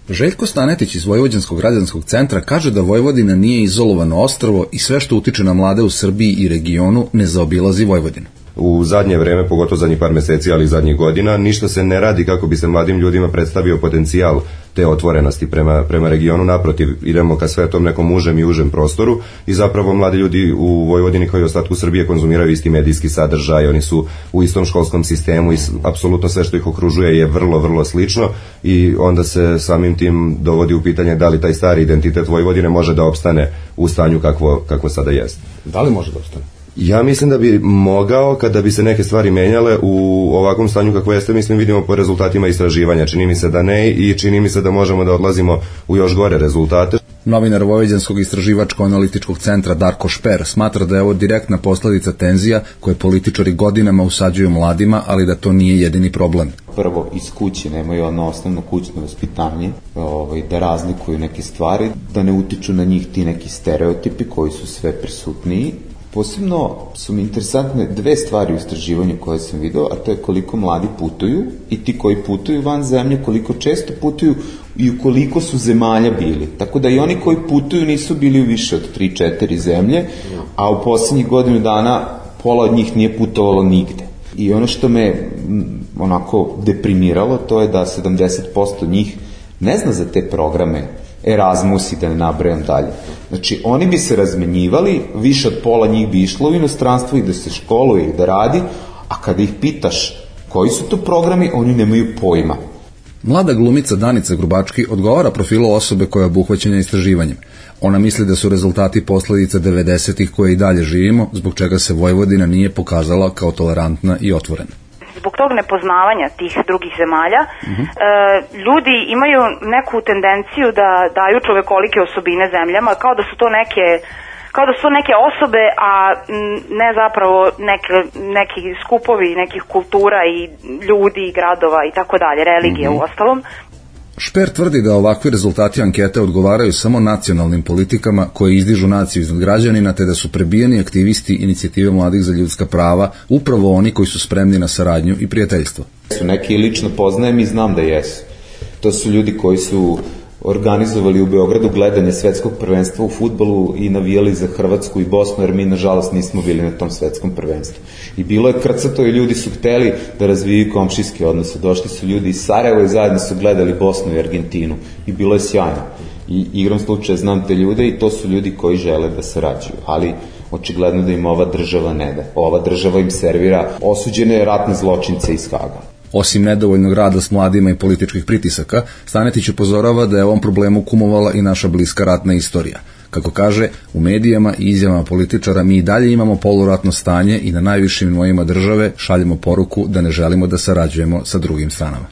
Željko Stanetić iz Vojvođanskog građanskog centra kaže da Vojvodina nije izolovano ostrvo i sve što utiče na mlade u Srbiji i regionu ne zaobilazi Vojvodinu. U zadnje vreme, pogotovo zadnjih par meseci, ali i zadnjih godina, ništa se ne radi kako bi se mladim ljudima predstavio potencijal te otvorenosti prema regionu. Naprotiv, idemo ka sve tom nekom užem i užem prostoru i zapravo mladi ljudi u Vojvodini kao i ostatku Srbije konzumiraju isti medijski sadržaj, oni su u istom školskom sistemu i apsolutno sve što ih okružuje je vrlo, vrlo slično i onda se samim tim dovodi u pitanje da li taj stari identitet Vojvodine može da opstane u stanju kakvo sada jeste. Da li može da opstane? Ja mislim da bi mogao kada bi se neke stvari menjale u ovakvom stanju kako jeste, mislim vidimo po rezultatima istraživanja. Čini mi se da ne i čini mi se da možemo da odlazimo u još gore rezultate. Novinar Vojvođanskog istraživačko-analitičkog centra Darko Šper smatra da je ovo direktna posledica tenzija koje političari godinama usađuju mladima, ali da to nije jedini problem. Prvo, iz kuće nemaju ono osnovno kućno vaspitanje, da razlikuju neke stvari, da ne utiču na njih ti neki stereotipi koji su sve prisutniji. Posebno su mi interesantne dve stvari u istraživanju koje sam video, a to je koliko mladi putuju i ti koji putuju van zemlje, koliko često putuju i u koliko su zemalja bili. Tako da i oni koji putuju nisu bili u više od 3-4 zemlje, a u poslednjih godinu dana pola od njih nije putovalo nigde. I ono što me onako deprimiralo, to je da 70% njih ne zna za te programe Erasmus i da ne nabrajam dalje. Znači, oni bi se razmenjivali, više od pola njih bi išlo u inostranstvo i da se školuje i da radi, a kada ih pitaš koji su to programi, oni nemaju pojma. Mlada glumica Danica Grubački odgovara profilu osobe koja je obuhvaćena istraživanjem. Ona misli da su rezultati posledica 90-ih koje i dalje živimo, zbog čega se Vojvodina nije pokazala kao tolerantna i otvorena. Zbog tog nepoznavanja tih drugih zemalja, ljudi imaju neku tendenciju da daju čovekolike osobine zemljama, kao da su to neke osobe, a ne zapravo neki skupovi nekih kultura i ljudi i gradova i tako dalje, religije u ostalom. Šper tvrdi da ovakvi rezultati ankete odgovaraju samo nacionalnim politikama koje izdižu naciju iznad građanina, te da su prebijeni aktivisti inicijative mladih za ljudska prava upravo oni koji su spremni na saradnju i prijateljstvo. Neki lično poznajem i znam da jesu. To su ljudi koji su organizovali u Beogradu gledanje svetskog prvenstva u fudbalu i navijali za Hrvatsku i Bosnu, jer mi nažalost nismo bili na tom svetskom prvenstvu. I bilo je krcato i ljudi su hteli da razvijaju komšijske odnose. Došli su ljudi iz Sarajeva i zajedno su gledali Bosnu i Argentinu i bilo je sjajno. I igrom slučaja znam te ljude i to su ljudi koji žele da sarađuju, ali očigledno da im ova država ne da. Ova država im servira osuđene ratne zločince iz Haga. Osim nedovoljnog rada s mladima i političkih pritisaka, Stanetić upozorava da je ovom problemu kumovala i naša bliska ratna istorija. Kako kaže, u medijama i izjavama političara mi i dalje imamo poluratno stanje i na najvišim nivoima države šaljemo poruku da ne želimo da sarađujemo sa drugim stranama.